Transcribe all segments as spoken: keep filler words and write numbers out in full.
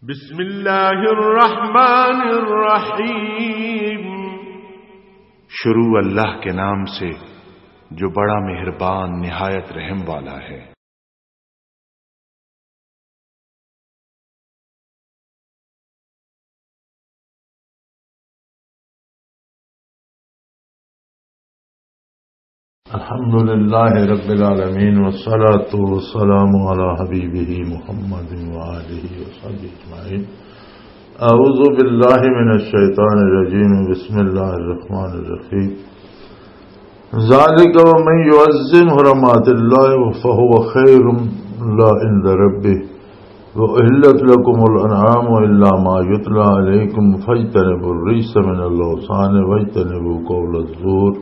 بسم اللہ الرحمن الرحیم۔ شروع اللہ کے نام سے، جو بڑا مہربان، نہایت رحم والا ہے۔ الحمد لله رب العالمين، والصلاة والسلام على حبيبه محمد وآله وصحبه أجمعين. أعوذ بالله من الشيطان الرجيم. بسم الله الرحمن الرحيم. ذلك ومن يعظم حرمات الله فهو خير له عند ربه، وأحلت لكم الأنعام إلا ما يتلى عليكم، فاجتنبوا الرجس من الأوثان واجتنبوا قول الزور،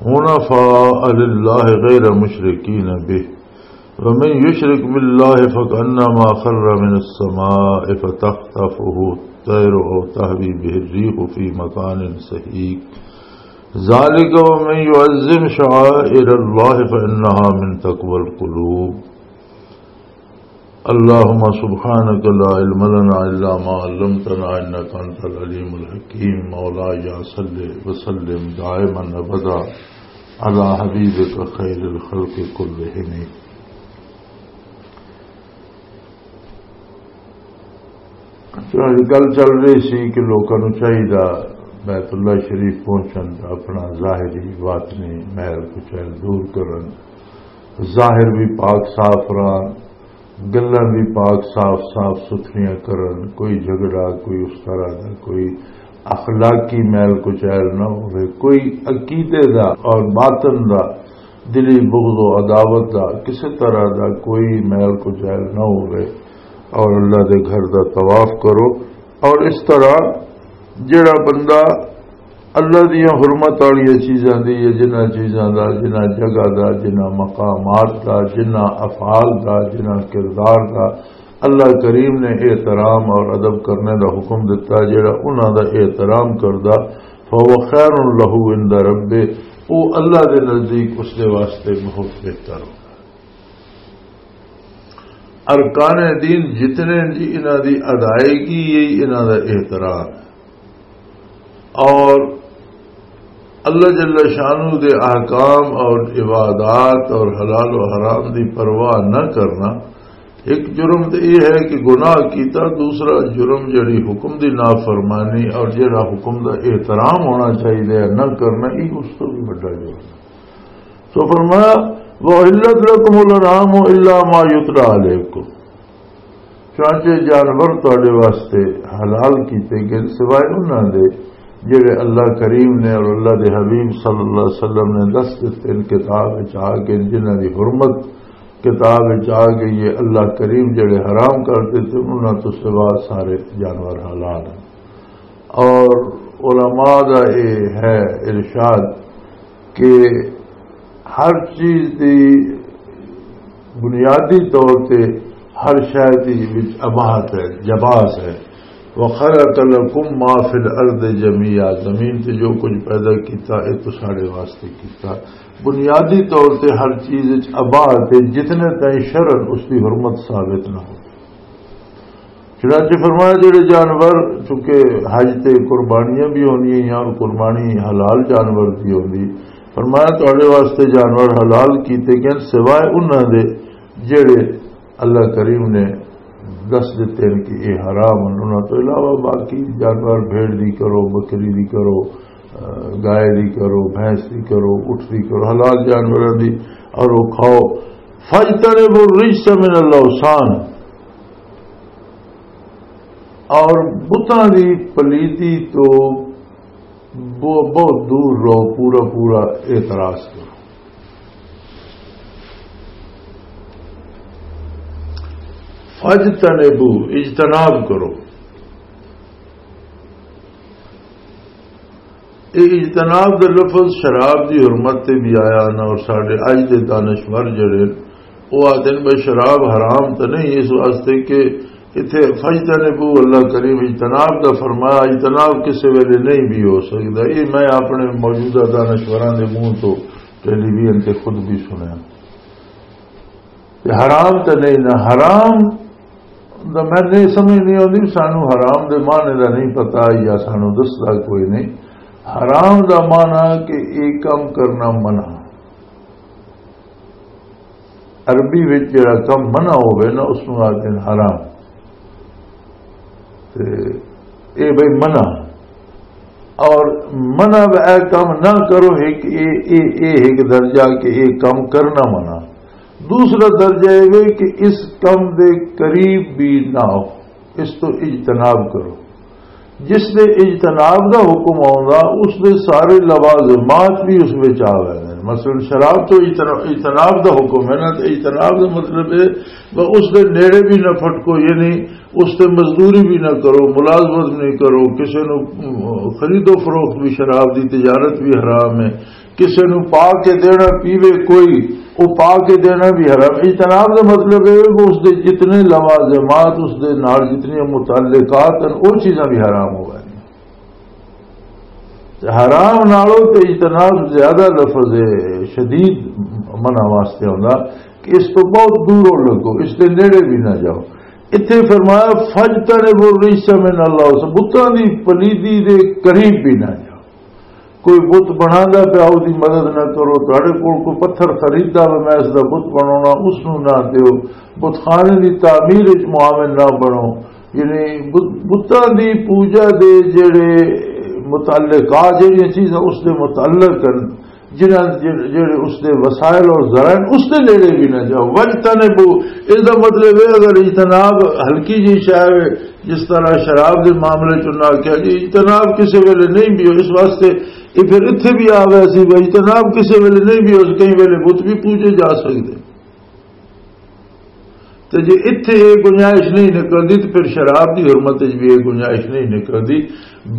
حنفاء لله غير مشركين به، ومن يشرك بالله فكأنما خر من السماء فتخطفه الطير أو تهوي به الريح في مكان سحيق. ذلك ومن يعظم شعائر الله فإنها من تقوى القلوب. اللهم سبحانك لا علم لنا إلا ما علمتنا إنك أنت العليم الحكيم. مولاي صل وسلم دائما أبدا على حبيبك خير الخلق كلهم. چنانچہ گل چل رہی سی کہ لوکاں نوں چاہیدا بیت اللہ شریف پہنچن، اپنا ظاہری باطنی میل کچیل دور کرن، ظاہر بھی پاک صاف رہن، گلاں بھی پاک صاف صاف ستھریاں کرن، کوئی جھگڑا، کوئی اس طرح دا، کوئی اخلاقی میل کچیل نہ ہوئے، کوئی عقیدے دا اور باطن دا، دلی بغض و عداوت دا، کسی طرح دا کوئی میل کچیل نہ ہوئے، اور اللہ دے گھر دا طواف کرو۔ اور اس طرح جڑا بندہ اللہ دیاں حرمت والیاں چیزاں دی یا جنہاں چیزاں دا، جنہاں جگہ دا، جنہاں مقامات دا، جنہاں افعال دا، جنہاں کردار دا اللہ کریم نے احترام اور ادب کرنے دا حکم دتا، جڑا انہاں دا احترام کردا، فهو خیر لہ عند ربہ، او اللہ دے نزدیک اس دے واسطے بہت بہتر ہو۔ ارکان دین جتنے جی، انہاں دی ادائیگی، یہی انہاں دا احترام ہے۔ اور اللہ جل شانہ دے احکام اور عبادات اور حلال و حرام دی پرواہ نہ کرنا، ایک جرم تے یہ ہے کہ گناہ کیتا، دوسرا جرم جڑی حکم دی نافرمانی اور جڑا حکم دا احترام ہونا چاہیے نہ کرنا، یہ اس تو بھی بڑا جرم ہے۔ سو فرمایا، وَأُحِلَّتْ لَكُمُ الْأَنْعَامُ إِلَّا مَا يُتْلَىٰ عَلَيْكُمْ۔ چانچے جانور تواڈے واسطے حلال کیتے گئے، سوائے انہاں دے جڑے اللہ کریم نے اور اللہ دے حبیب صلی اللہ علیہ وسلم نے دس دتے ان کتاب وچ آ کے، جنہاں دی حرمت کتاب وچ آ گئی ہے۔ اللہ کریم جڑے حرام کر دیتے، انہاں تو سوا سارے جانور حلال ہیں۔ اور علماء دا اے ہے ارشاد کہ ہر چیز دی بنیادی طور تے ہر شے دی وچ اباحت ہے، جواز ہے۔ وَخَلَقَ لَكُم مَّا فِي الْأَرْضِ جَمِيعًا، زمین تے جو کچھ پیدا کیتا، اے تو ساڈے واسطے کیتا۔ بنیادی طور تے ہر چیز وچ اباحت ہے، جتنے تائیں شرع اس دی حرمت ثابت نہ ہو۔ چنانچہ فرمایا، جڑے جانور، چونکہ حج تے قربانیاں بھی ہونی ہیں اور قربانی حلال جانور بھی ہوندی، فرمایا، تواڈے واسطے جانور حلال کیتے گئے سوائے انہاں دے جڑے اللہ کریم نے دس دتے ہیں کہ یہ حرام ہیں۔ انہاں تو علاوہ باقی جانور، بھیڑ دی کرو، بکری دی کرو، گائے دی کرو، بھینس دی کرو، اٹھ دی کرو، حلال جانوراں دی، اور وہ کھاؤ۔ فَاجْتَنِبُوا الرِّجْسَ مِنَ الْأَوْثَانِ، اور بتاں دی پلیتی تو بہت، بہت دور رہو، پورا پورا اعتراض کرو۔ فَاجْتَنِبُوا، اجتناب کرو۔ اے اجتناب دا لفظ شراب دی حرمت تے بھی آیا نا، اور ساڈے اج دے دانشور جڑے، او آدھے نے بھئی شراب حرام تے نہیں، اس واسطے کہ اتھے فَاجْتَنِبُوا، اللہ کریم اجتناب دا فرمایا، اجتناب کسے ویلے نہیں بھی ہو سکدا۔ یہ میں اپنے موجودہ دانشوراں دے منہ تو ٹیلی ویژن تے خود بھی سنیا۔ تے حرام تے نہیں نا، حرام تو میں نہیں سمجھ نہیں آتی، سانو حرام دے معنی دا نہیں پتا یا سانو دسدا کوئی نہیں۔ حرام دا معنی کہ ایک کام کرنا منع۔ عربی وچ جڑا کم منع ہوئے نا، اس نوں آکھدے نے حرام۔ تے اے بھئی منع، اور منع اے کم نہ کرو، ایک اے، اے، اے ایک درجہ کہ اے کم کرنا منع۔ دوسرا درجہ اے وے کہ اس کم دے قریب بھی نہ ہو، اس تو اجتناب کرو۔ جس دے اجتناب دا حکم آوندا، اس دے سارے لوازمات بھی اس وچ آ ویندے نے۔ مثلاً شراب تو اجتنا-، اجتناب دا حکم ہے نا، تے اجتناب دا مطلب ہے وہ اس دے نیڑے بھی نہ پھٹکو، یعنی اس تے مزدوری بھی نہ کرو، ملازمت نہیں کرو، کسے نو خرید و فروخت بھی، شراب دی تجارت بھی حرام ہے، کسے نو پا کے دینا پیوے کوئی، او پا کے دینا بھی حرام۔ اجتناب دا مطلب ہے کہ اس دے جتنے لوازمات، اس دے نال جتنی متعلقات ہیں، او چیزاں بھی حرام ہو گئے۔ تے حرام نالوں تے اجتناب زیادہ لفظ ہے، شدید منع واسطے ہوندا کہ اس تو بہت دوروں لگو، اس دے نیڑے بھی نہ جاؤ۔ اتھے فرمایا، "فاجتنبوا الرجس من الاوثان"، بتاں دی پلیدی دے قریب بھی نہ جاؤ۔ کوئی بت بناندا پیا، او دی مدد نہ کرو۔ تہاڈے کول کوئی پتھر خریدا وے، میں اس دا بت بناونا، اس نوں نہ دیو۔ بت خانے دی تعمیر وچ معاون نہ بنو۔ یعنی بت-، بتاں دی پوجا دے جڑے متعلقات، جڑیاں چیزاں اس دے متعلق ہن، جنہاں جڑ-، جڑے اس دے وسائل اور ذرائع، اس دے نیڑے بھی نہ جاؤ۔ واجتنبوا، اس دا مطلب ہے اگر اجتناب ہلکی جی شے ہے، جس طرح شراب دے معاملے چ نہ کیا جی، اجتناب کسے ویلے نہیں بھی ہو، اس واسطے یہ پھر اتھے بھی آ گیا سی، بھائی، اجتناب کسے ویلے نہیں بھی ہو، کئی ویلے بت بھی پوجے جا سکدے۔ تے جے اتھے یہ گنجائش نہیں نکلدی، تے پھر شراب دی حرمت وچ بھی یہ گنجائش نہیں نکلدی،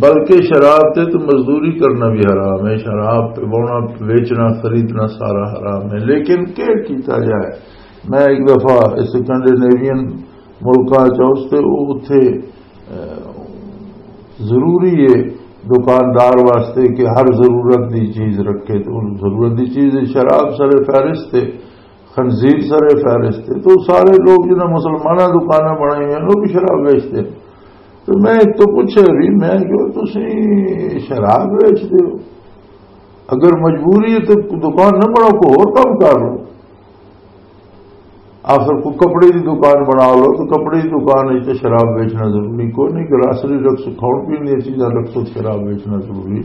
بلکہ شراب تے تو مزدوری کرنا بھی حرام ہے، شراب پوانا، ویچنا، خریدنا سارا حرام ہے۔ لیکن کیا کیتا جائے؟ میں ایک دفعہ اسکینڈینیوین ملکاں چ اس تے، او اتھے، اہ، ضروری ہے دکاندار واسطے کہ ہر ضرورت دی چیز رکھے، تو ضرورت دی چیز شراب سر فہرست ہے، خنزیر سر فہرست ہے۔ تو سارے لوگ جنہاں مسلماناں دکاناں بنائی ہیں، وہ بھی شراب بیچتے ہیں۔ تو میں ایک تو پوچھے بھی، میں کہ تسی شراب بیچتے ہو؟ اگر مجبوری ہے تو دکان نہ بناؤ، کوئی اور کام کر لو۔ آخر کوئی کپڑے دی دکان بنا لو، تو کپڑے دی دکان وچ تے شراب بیچنا ضروری کوئی نہیں، گراسری رکھ سو، کھاؤ پین دی چیزاں رکھ سو، شراب بیچنا ضروری۔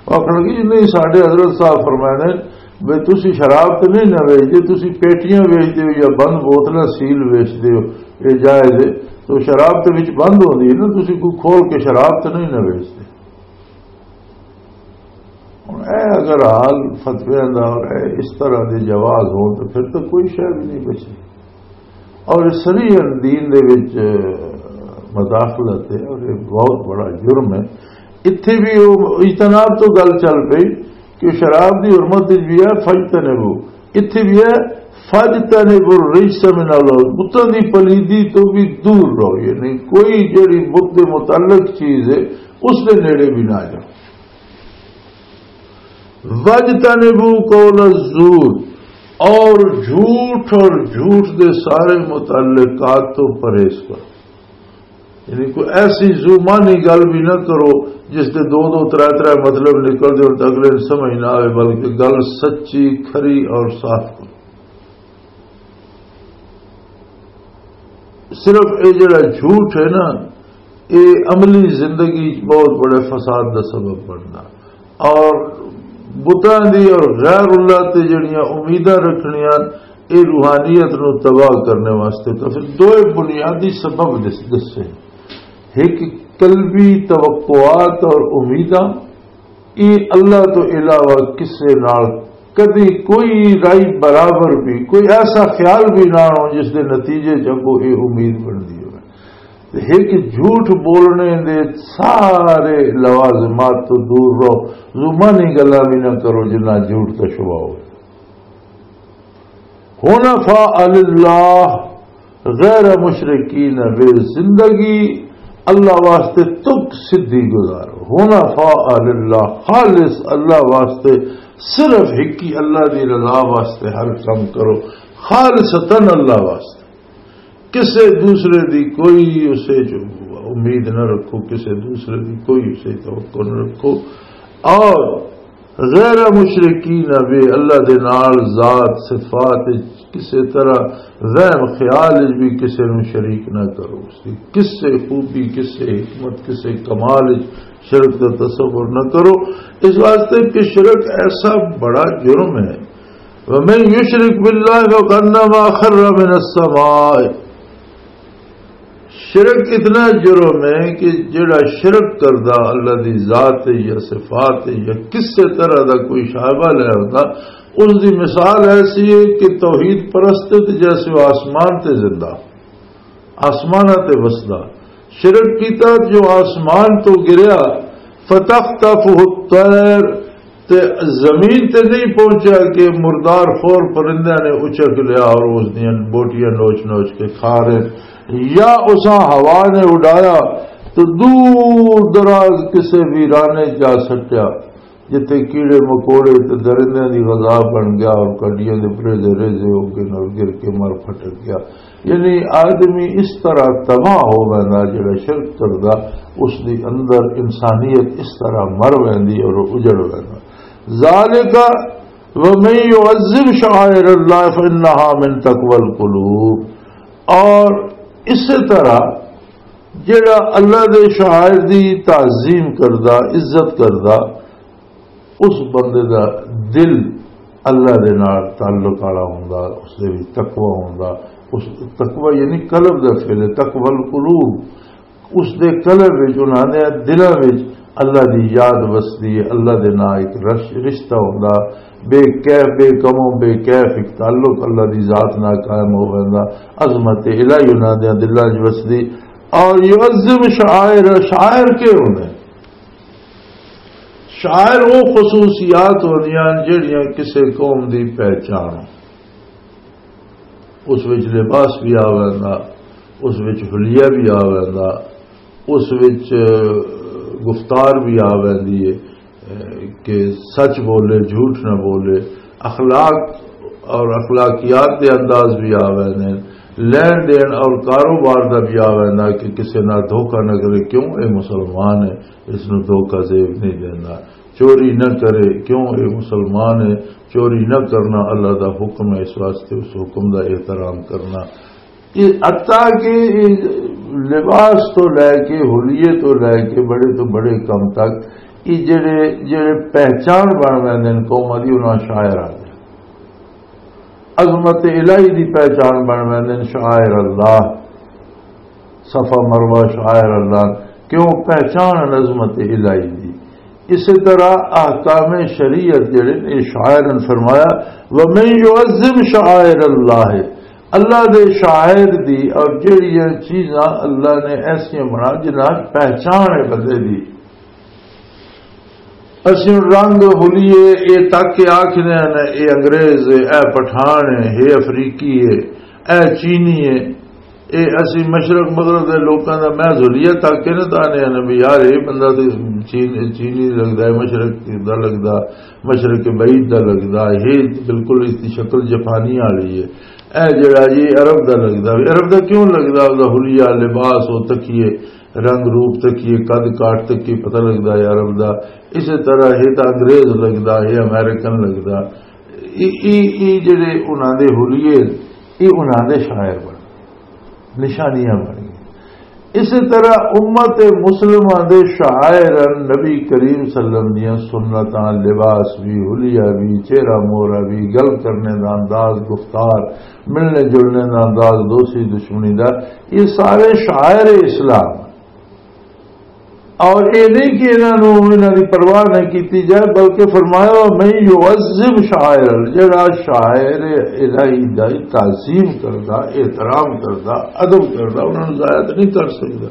آخر لگی، "جی نہیں، ساڈے حضرت صاحب فرمائے نے، بھئی تسی شراب تے نہیں نہ ویچدے، تسی پیٹیاں ویچدے ہو یا بند بوتلاں سیل ویچدے ہو، یہ جائز ہے، تو شراب تے وچ بند ہوندی ہے نا، تسی کوئی کھول کے شراب تے نہیں نہ ویچدے۔" ہن اے اگر حال فتویاں دا اور اے اس طرح دے جواز ہون تو پھر تو کوئی شے بھی نہیں بچی۔ اور سریعاً دین دے وچ مداخلت ہے اور یہ بہت بڑا جرم ہے۔ اتھے بھی وہ اجتناب تو گل چل پئی کہ شراب دی حرمت وچ بھی ہے فاجتنبو، اتھے بھی ہے فاجتنبو الرجس من الاوثان، بتاں دی پلیدی تو بھی دور رہو، یعنی کوئی جڑی بت دے متعلق چیز ہے اس دے نیڑے بھی نہ جاؤ۔ وَاجْتَنِبُوا قَوْلَ الزُّورِ، اور جھوٹ اور جھوٹ دے سارے متعلقات تو پرہیز کرو۔ یعنی کوئی ایسی زو معنی گل بھی نہ کرو جس دے دو دو ترے ترے مطلب نکل دے اور اگلے نوں سمجھ نہ آوے، بلکہ گل سچی، کھری اور صاف کرو۔ صرف اے جڑا جھوٹ ہے نا، اے عملی زندگی چ بہت بڑے فساد دا سبب بندا۔ اور بتاں دی اور غیر اللہ تے جڑیاں امیداں رکھنیاں، اے روحانیت نو تباہ کرنے واسطے۔ تو پھر دوئے بنیادی سبب دس-، دسے، ایک قلبی توقعات اور امیداں، اے اللہ تو علاوہ کسے نال کدی کوئی رائی برابر بھی، کوئی ایسا خیال بھی نہ ہو جس دے نتیجے چ اگوں اے امید بندی ہو۔ تے ایک جھوٹ بولنے دے سارے لوازمات تو دور رہو، زبانی گلاں بھی نہ کرو جنہ جھوٹ دا شبہ ہو۔ حنفاء للہ، غیر مشرکین بہ، زندگی اللہ واسطے تک سدھی گزارو۔ حنفاء للہ، خالص اللہ واسطے، صرف ہکی اللہ دی رضا واسطے ہر کم کرو، خالصتاً اللہ واسطے۔ کسے دوسرے دی کوئی اسے چ امید نہ رکھو، کسے دوسرے دی کوئی اسے توقع نہ رکھو۔ اور غیر مشرکین بے، اللہ دے نال ذات صفات وچ کسے طرح وہم خیال وچ بھی کسے نوں شریک نہ کرو۔ اس دی کسے خوبی، کسے حکمت، کسے کمال وچ شرک دا تصور نہ کرو، اس واسطے کہ شرک ایسا بڑا جرم ہے۔ وَمَن يُشْرِكْ بِاللَّهِ فَكَأَنَّمَا خَرَّ مِنَ السَّمَاءِ۔ شرک اتنا جرم ہے کہ جڑا شرک کردا اللہ دی ذات ہے یا صفات ہے یا کسے طرح دا کوئی شائبہ لے آندا، اس دی مثال ایسی ہے کہ توحید پرست ہے تے جیسے وہ آسمان تے زندہ، آسماناں تے وسدا۔ شرک کیتا جو آسمان تو گریا، فَتَخْطَفُهُ الطَّيْرُ، تے زمین تے نہیں پہنچیا کہ مردار خور پرندیاں نے اچک لیا اور اس دیاں بوٹیاں نوچ نوچ کے کھا رہے، یا اساں ہوا نے اڈایا تو دور دراز کسے ویرانے جا سٹیا، جتھے کیڑے مکوڑے تے درندیاں دی غذا بن گیا اور کڈیاں دے پریزے ریزے ہو کے نال گر کے مر پھٹک گیا۔ یعنی آدمی اس طرح تباہ ہو ویندا، جڑا شرک کردا، اس دے اندر انسانیت اس طرح مر ویندی اور اجڑ ویندا۔ ذالک ومن یعظم شعائر اللہ فانہا من تقوی القلوب۔ اور اسی طرح جڑا اللہ دے شعائر دی تعظیم کردا، عزت کردا، اس بندے دا دل اللہ دے نال تعلق والا ہوندا، اس دے وچ تقوی ہوندا۔ اس تقوی یعنی قلب دا فعل ہے، تقوی القلوب۔ اس دے قلب وچ، انہاں دے دلاں وچ اللہ دی یاد وسدی ہے، اللہ دے نال ایک رش-، رشتہ ہوندا، بے کیف، بے کموں بے کیف ایک تعلق اللہ دی ذات نال قائم ہو ویندا، عظمت الہی انہاں دے دلاں وچ وسدی۔ اور یعظم شعائر، شاعر کے ہوندے؟ شاعر وہ خصوصیات ہوندیاں جڑیاں کسے قوم دی پہچان ہو۔ اس وچ لباس بھی آ ویندا، اس وچ حلیہ بھی آ ویندا، اس وچ گفتار بھی آ ویندی ہے کہ سچ بولے، جھوٹ نہ بولے، اخلاق اور اخلاقیات دے انداز بھی آ ویندے ہیں، لین دین اور کاروبار دا بھی آ ویندا کہ کسے نال دھوکا نہ کرے، کیوں اے مسلمان ہے، اس نوں دھوکا زیب نہیں دینا، چوری نہ کرے، کیوں اے مسلمان ہے، چوری نہ کرنا اللہ دا حکم ہے، اس واسطے اس حکم دا احترام کرنا۔ یہ حتیٰ کہ یہ لباس تو لے کے، حلیے تو لے کے، بڑے تو بڑے کم تک، یہ جڑے، جڑے پہچان بن ویندے نے قوم دی، انہاں شاعر آ گئے۔ عظمت الہی دی پہچان بن ویندے نے شاعر اللہ۔ صفا مروہ شاعر اللہ، کیوں؟ پہچان عظمت الہی دی۔ اسی طرح احکام شریعت جڑے نے، شاعر نے فرمایا، "ومن یعظم شعائر اللہ"، اللہ دے شاعر دی، اور جڑیاں چیزاں اللہ نے ایسیاں بنا جنہاں پہچان ہے بندے دی۔ اسی ہن رنگ ہولیے، اے تک کے آکھنے ہیں، اے انگریز ہے، اے پٹھان ہے، اے افریقی ہے، اے چینی ہے۔ اے اسی مشرق مغرب دے لوکاں دا، میں ہولیے تک کے نہ تانے ہیں بھی یار، اے بندہ تے چین-، چینی لگدا ہے، مشرق دا لگدا، مشرق بعید دا لگدا، اے بالکل اس دی شکل جاپانی والی ہے۔ اے جڑا جی عرب دا لگدا، عرب دا کیوں لگدا؟ او دا حلیہ، لباس، او تکیے، رنگ روپ تکیے، قد کاٹ تکیے پتہ لگدا ہے عرب دا۔ اسی طرح یہ تو انگریز لگدا، یہ امریکن لگدا۔ ای، ای، ای جڑے انہاں دے حلیے، ای انہاں دے شاعر بن، نشانیاں بن گئے۔ اسی طرح امت مسلمہ دے شاعر نبی کریم صلی اللہ علیہ وسلم دیاں سنتاں، لباس بھی، حلیہ بھی، چہرہ مورا بھی، گل کرنے دا انداز، گفتار، ملنے جلنے دا انداز، دوستی دشمنی دا، یہ سارے شاعر اسلام۔ اور یہ نہیں کہ انہاں نوں، انہاں دی پرواہ نہ کیتی جائے، بلکہ فرمایا، "من یعظم شعائر ال-"، جڑا شاعر الہی دا تعظیم کردا، احترام کردا، ادب کردا، انہاں نوں ضائع تے نہیں کر سکدا۔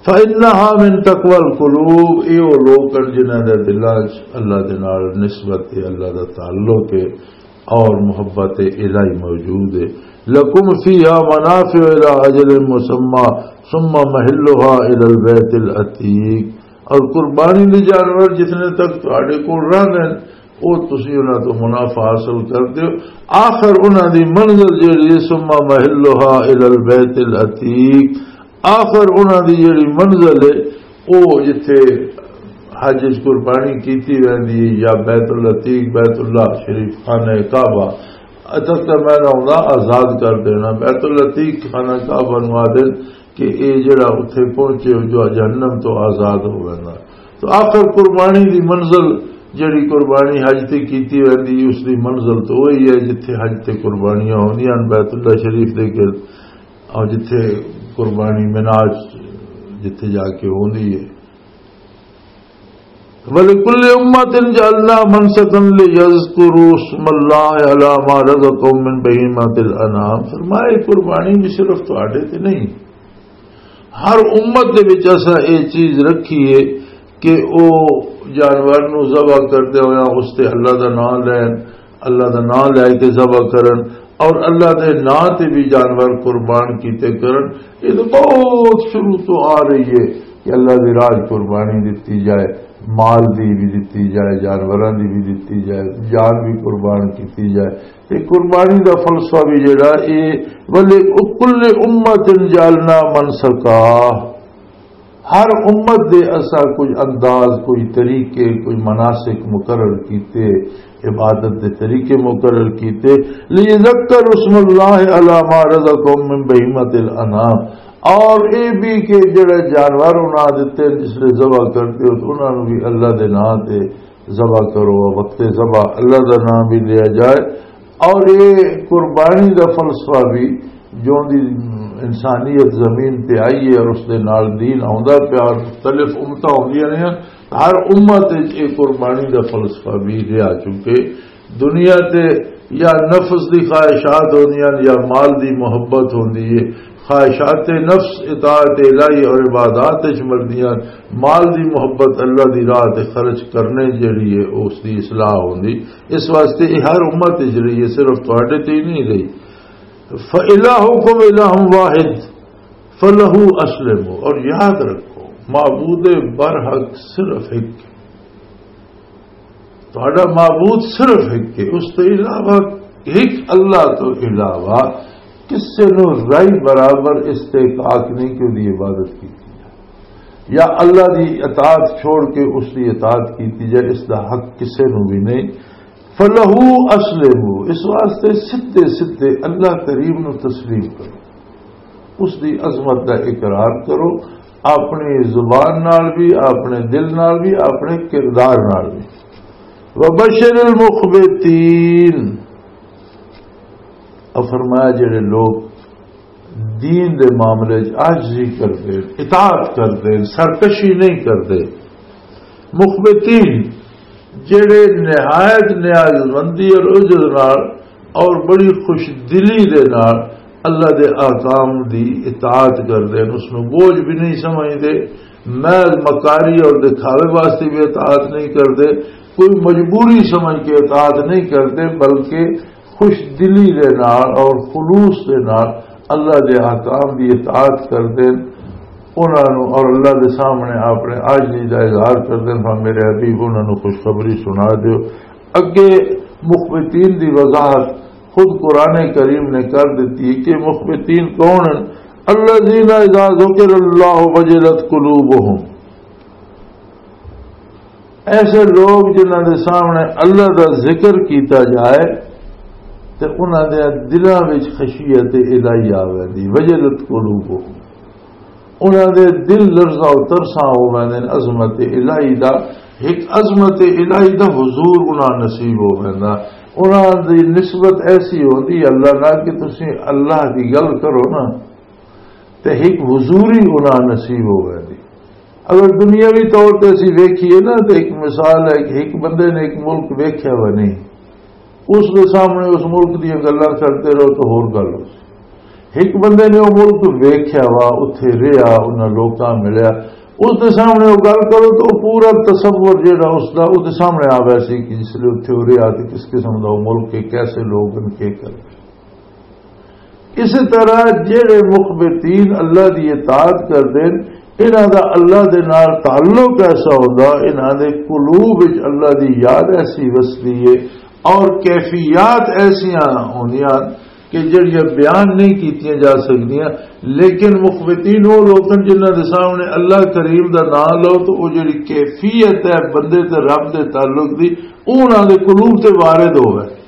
فَإِنَّهَا مِن تَقْوَى الْقُلُوبِ، اے او لوک ہن جنہاں دے دلاں 'چ اللہ دے نال نسبت ہے، اللہ دا تعلق ہے اور محبت الہی موجود ہے۔ لَكُمْ فِيهَا مَنَافِعُ إِلَىٰ أَجَلٍ مُّسَمًّى ثُمَّ مَحِلُّهَا إِلَى الْبَيْتِ الْعَتِيقِ، اور قربانی دے جانور جتنے تک تہاڈے کول رہندے ہن، وہ تسی انہاں تو منافع حاصل کردے ہو۔ آخر انہاں دی منزل جیڑی ہے، ثم محلها الی البیت العتیق، آخر انہاں دی جیڑی منزل ہے، او جتھے حج وچ قربانی کیتی ویندی ہے، یا بیت العتیق، بیت اللہ شریف، خانہ کعبہ، اتھے تے میں نہ ہوندا، آزاد کر دینا۔ بیت العتیق، خانہ کعبہ نو آدن کہ اے جڑا اتھے پہنچے ہو، جو جہنم تو آزاد ہو ویندا۔ تو آخر قربانی دی منزل، جڑی قربانی حج تے کیتی ویندی، اس دی منزل تو وہی ہے جتھے حج تے قربانیاں ہوندیاں ہن، بیت اللہ شریف دے گرد، اور جتھے قربانی مناج جتھے جا کے ہوندی ہے۔ وَلِكُلِّ أُمَّةٍ جَعَلْنَا مَنْسَكًا لِيَذْكُرُوا اسْمَ اللَّهِ عَلَى مَا رَزَقَهُمْ مِنْ بَهِيمَةِ الْأَنْعَامِ۔ فرمایا، قربانی بھی صرف تہاڈے تے نہیں، ہر امت دے وچ اساں اے چیز رکھی ہے کہ او جانور نو ذبح کردے ہویا اس تے اللہ دا نام لین، اللہ دا نام لے کے ذبح کرن، اور اللہ دے نام تے بھی جانور قربان کیتے کرن۔ یہ تو بہت شروع تو آ رہی ہے کہ اللہ دی راہ قربانی دتی جائے، مال دی بھی دتی جائے، جانوراں دی بھی دتی جائے، جان بھی قربان کیتی جائے۔ یہ قربانی دا فلسفہ بھی جڑا، یہ وَلِكُلِّ أُمَّةٍ جَعَلْنَا مَنْسَكًا، ہر امت دے اساں کوئی انداز، کوئی طریقے، کوئی مناسک مقرر کیتے، عبادت دے طریقے مقرر کیتے۔ لِيَذَّكَّرُوا اسْمَ اللَّهِ عَلَى مَا رَزَقَهُمْ مِنْ بَهِيمَةِ الْأَنْعَامِ، اور اے بھی کہ جڑے جانور انہاں دتے جس لے ذبح کرتے ہو تو انہاں نوں بھی اللہ دے نام تے ذبح کرو، وقت ذبح اللہ دا نام بھی لیا جائے۔ اور یہ قربانی دا فلسفہ بھی جو دی انسانیت زمین تے آئی ہے اور اس دے نال دین آوندا پیا، اور مختلف امتاں ہوندیاں رہیاں، ہر امت وچ یہ قربانی دا فلسفہ بھی رہا، چونکہ دنیا تے یا نفس دی خواہشات ہوندیاں یا مال دی محبت ہوندی ہے، خواہشات نفس اطاعت الہی اور عبادات وچ مردیاں، مال دی محبت اللہ دی راہ تے خرچ کرنے جڑی ہے، اس دی اصلاح ہوندی۔ اس واسطے یہ ہر امت وچ رہی ہے، صرف تہاڈے تے ہی نہیں رہی۔ فَإِلَٰهُكُمْ إِلَٰهٌ وَاحِدٌ فَلَهُ أَسْلِمُوا، اور یاد رکھو، معبود برحق صرف ایک۔ تہاڈا معبود صرف ایک ہے، اس تو علاوہ، ایک اللہ تو علاوہ کسے نو رائی برابر استحقاق نہیں کہ دی عبادت کی جائے، یا اللہ دی اطاعت چھوڑ کے اس دی اطاعت کی جائے، اس دا حق کسے نو بھی نہیں۔ فَلَهُ أَسْلِمُوا، اس واسطے سدھے سدھے اللہ کریم نو تسلیم کرو، اس دی عظمت دا اقرار کرو، اپنی زبان نال بھی، اپنے دل نال بھی، اپنے کردار نال بھی۔ وَبَشِّرِ الْمُخْبِتِينَ، اور فرمایا جڑے لوگ دین دے معاملے وچ عاجزی کردے، اطاعت کردے، سرکشی نہیں کردے، مخبتین، جڑے نہایت نیاز مندی اور عجز نال اور بڑی خوش دلی دے نال اللہ دے احکام دی اطاعت کردے، اس نوں بوجھ بھی نہیں سمجھدے، محض مکاری اور دکھاوے واسطے بھی اطاعت نہیں کردے، کوئی مجبوری سمجھ کے اطاعت نہیں کردے، بلکہ خوش دلی دے نال اور خلوص دے نال اللہ دے احکام دی اطاعت کردے۔ انہاں نوں اور اللہ دے سامنے اپنے عاجزی دا اظہار کردے، ہاں میرے حبیب، انہاں نوں خوشخبری سنا دیو۔ اگے مخبتین دی وضاحت خود قرآن کریم نے کر دتی کہ مخبتین کون ہیں؟ الذین اذا ذکر اللہ وجلت قلوبہم، ایسے لوگ جنہاں دے سامنے اللہ دا ذکر کیتا جائے تے انہاں دے دلاں وچ خشیت الہی آ ویندی، وجلت قلوبہم، انہاں دے دل لرزاں و ترساں ہو ویندے نے عظمت الہی دا۔ ایک عظمت الہی دا حضور انہاں نصیب ہو ویندا۔ انہاں دی نسبت ایسی ہوندی ہے اللہ نال کہ تسی اللہ دی گل کرو نا، تے ایک حضوری انہاں نصیب ہو ویندی۔ اگر دنیاوی طور تے اسی ویکھیے نا، تے ایک مثال ہے کہ ایک بندے نے ایک ملک ویکھیا ہوا نہیں، اس دے سامنے اس ملک دیاں گلاں کرتے رہو تو ہور گل ہو سی۔ ایک بندے نے وہ ملک ویکھیا وا، اتھے رہیا، انہاں لوکاں ملیا، اس دے سامنے وہ گل کرو تو وہ پورا تصور جیڑا اس دا، اس دے سامنے آ ویسی کہ جس لے اتھے وہ رہیا تے کس قسم دا وہ ملک ہے، کیسے لوگ ہیں، کے کر۔ اسی طرح جیڑے مخبتین اللہ دی اطاعت کردے نے، انہاں دا اللہ دے نال تعلق ایسا ہوندا، انہاں دے قلوب وچ اللہ دی یاد ایسی وسدی ہے، اور کیفیات ایسیاں ہوندیاں کہ جڑیاں بیان نہیں کیتیاں جا سکدیاں۔ لیکن مخبتین وہ لوگ ہیں جنہاں دے سامنے اللہ کریم دا نام لو تو وہ جڑی کیفیت ہے بندے تے رب دے تعلق دی، وہ انہاں دے قلوب تے وارد ہووے۔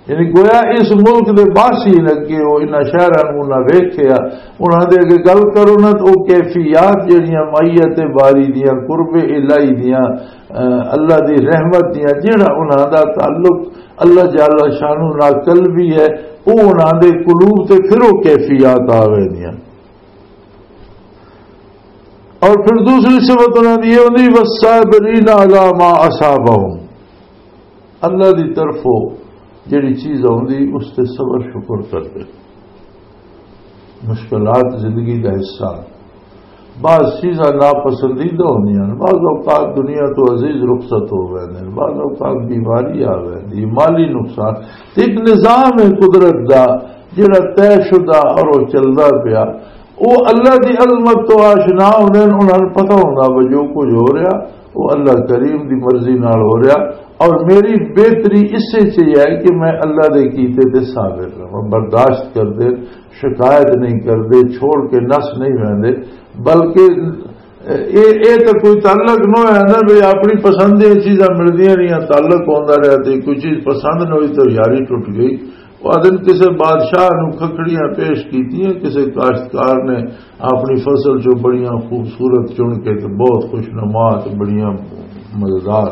یعنی گویا اس ملک دے باسی لگے ہو، انہاں شہراں نوں نہ ویکھیا، انہاں دے اگے گل کرو نا تو او کیفیات جڑیاں معیت باری دیاں، قرب الہی دیاں، اہ، اللہ دی رحمت دیاں، جڑا انہاں دا تعلق اللہ جل شانہ نال قلبی ہے، او انہاں دے قلوب تے پھر او کیفیات آ ویندیاں۔ اور پھر دوسری صفت انہاں دی یہ ہوندی، "والصابرین علی ما اصابہم۔" اللہ دی طرفوں جڑی چیز آوندی، اس تے صبر شکر کردے۔ مشکلات زندگی دا حصہ۔ بعض چیزاں ناپسندیدہ ہوندیاں نے، بعض اوقات دنیا تو عزیز رخصت ہو ویندے نے، بعض اوقات بیماری آ ویندی، مالی نقصان۔ تے ایک نظام ہے قدرت دا جڑا طے شدہ اور وہ چلدا پیا۔ وہ اللہ دی عظمت تو آشنا ہوندے نے، انہاں نوں پتہ ہوندا بھی جو کچھ ہو رہا، وہ اللہ کریم دی مرضی نال ہو رہا، اور میری بہتری اس سے چاہیے ہے کہ میں اللہ دے کیتے تے صابر رہاں، برداشت کر دے، شکایت نہیں کر دے، چھوڑ کے نس نہیں ویندے، بلکہ اے، اے تے کوئی تعلق نہ ہویا نا، بھی اپنی پسند دیاں چیزاں ملدیاں رہیاں، تعلق ہوندا رہیا تے کوئی چیز پسند نہ ہوئی تو یاری ٹوٹ گئی۔ وہ آدھے نے کسے بادشاہ نو کھکھڑیاں پیش کیتیاں، کسے کاشتکار نے اپنی فصل چوں بڑیاں خوبصورت چن کے تے بہت خوش نما تے بڑیاں مزیدار۔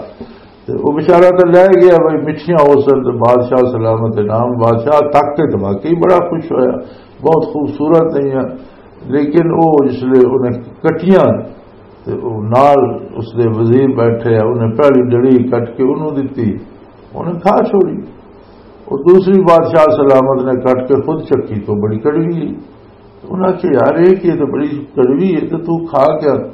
تے وہ بیچارہ تے لے گیا بھائی، مٹھیاں ہو سن تے بادشاہ سلامت انعام، بادشاہ تک کے تے واقعی بڑا خوش ہویا، بہت خوبصورت نہیں ہے۔ لیکن وہ جس لے انہیں کٹیاں تے او نال اس دے وزیر بیٹھے، انہیں پہلی ڈڑی کٹ کے انہوں دتی، انہیں کھا چھوڑی۔ اور دوسری بادشاہ سلامت نے کٹ کے خود چکی تو بڑی کڑوی ہے۔ انہاں کہ یار، یہ کہ تو بڑی کڑوی ہے، تو تو کھا کیا؟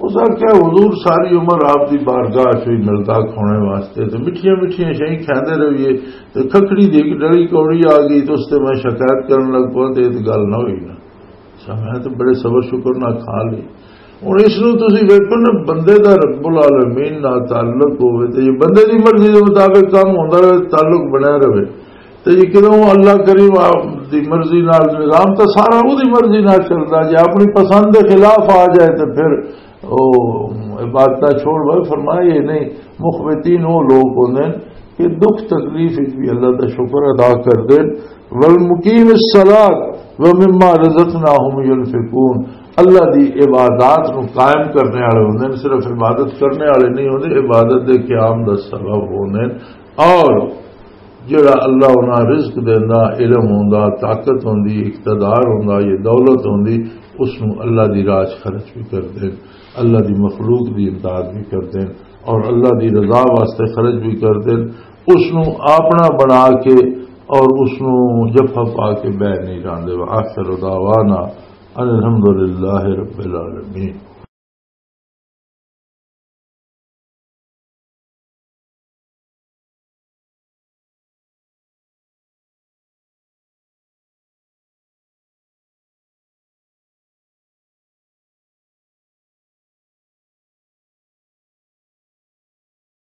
اس نے کہا، "حضور، ساری عمر آپ دی بارگاہ چ ہی ملتا کھانے واسطے، تو مٹھیاں مٹھیاں شہیں کھاندے رہیے، تو کھکڑی دی ایک ڈڑی کوڑی آ گئی، تو اس تے میں شکایت کرن لگ پیا، تو یہ تو گل نہ ہوئی نا۔" اچھا، میں تو بڑے صبر شکر نہ کھا لی۔ ہن اس نوں تسی ویکھو نا، بندے دا رب العالمین نال تعلق ہوے تے یہ بندے دی مرضی دے مطابق کام ہوندا رہے، تعلق بنیا رہے، تے یہ کدوں اللہ کریم آپ دی مرضی نال نظام تے سارا اودی مرضی نال چلدا، جے اپنی پسند دے خلاف آ جائے تے پھر او عبادتاں چھوڑ بھائی۔ فرمایا یہ نہیں، مخبتین وہ لوگ ہوندے نے کہ دکھ تکلیف وچ بھی اللہ دا شکر ادا کردے، "والمقیم الصلاۃ ومما رزقناہم ینفقون"، اللہ دی عبادات نو قائم کرنے والے ہوندے نے، صرف عبادت کرنے والے نہیں ہوندے، عبادت دے قیام دا سبب ہوندے نے۔ اور جڑا اللہ انہاں رزق دیندا، علم ہوندا، طاقت ہوندی، اقتدار ہوندا، یہ دولت ہوندی، اس نو اللہ دی راہ 'چ خرچ بھی کردے نے، اللہ دی مخلوق دی امداد بھی کردے نے، اور اللہ دی رضا واسطے خرچ بھی کردے نے۔ اس نو اپنا بنا کے اور اس نو جفا پا کے بہ نہیں جاندے۔ وآخر دعوانا ان الحمد للہ رب العالمین۔